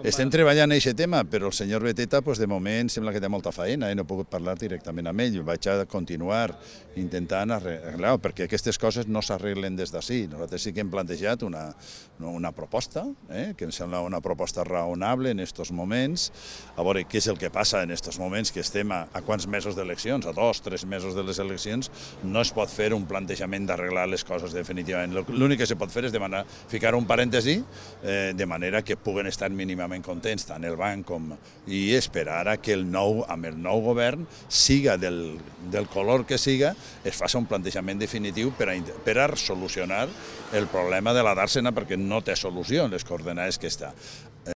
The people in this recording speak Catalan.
Estem treballant en aquest tema, però el senyor Beteta, de moment, sembla que té molta feina i no he pogut parlar directament amb ell. Vaig a continuar intentant arreglar-ho, perquè aquestes coses no s'arreglen des d'ací. Nosaltres sí que hem plantejat una proposta, que em sembla una proposta raonable en aquests moments, a veure què és el que passa en aquests moments, que estem a quants mesos d'eleccions, a 2 o 3 mesos de les eleccions, no es pot fer un plantejament d'arreglar les coses definitivament. L'únic que se pot fer és ficar un parèntesi, de manera que puguen estar mínimament contents tant el banc i esperar a que amb el nou govern, siga del color que siga, es faci un plantejament definitiu per a solucionar el problema de la dàrsena, perquè no té solució en les coordenades que està.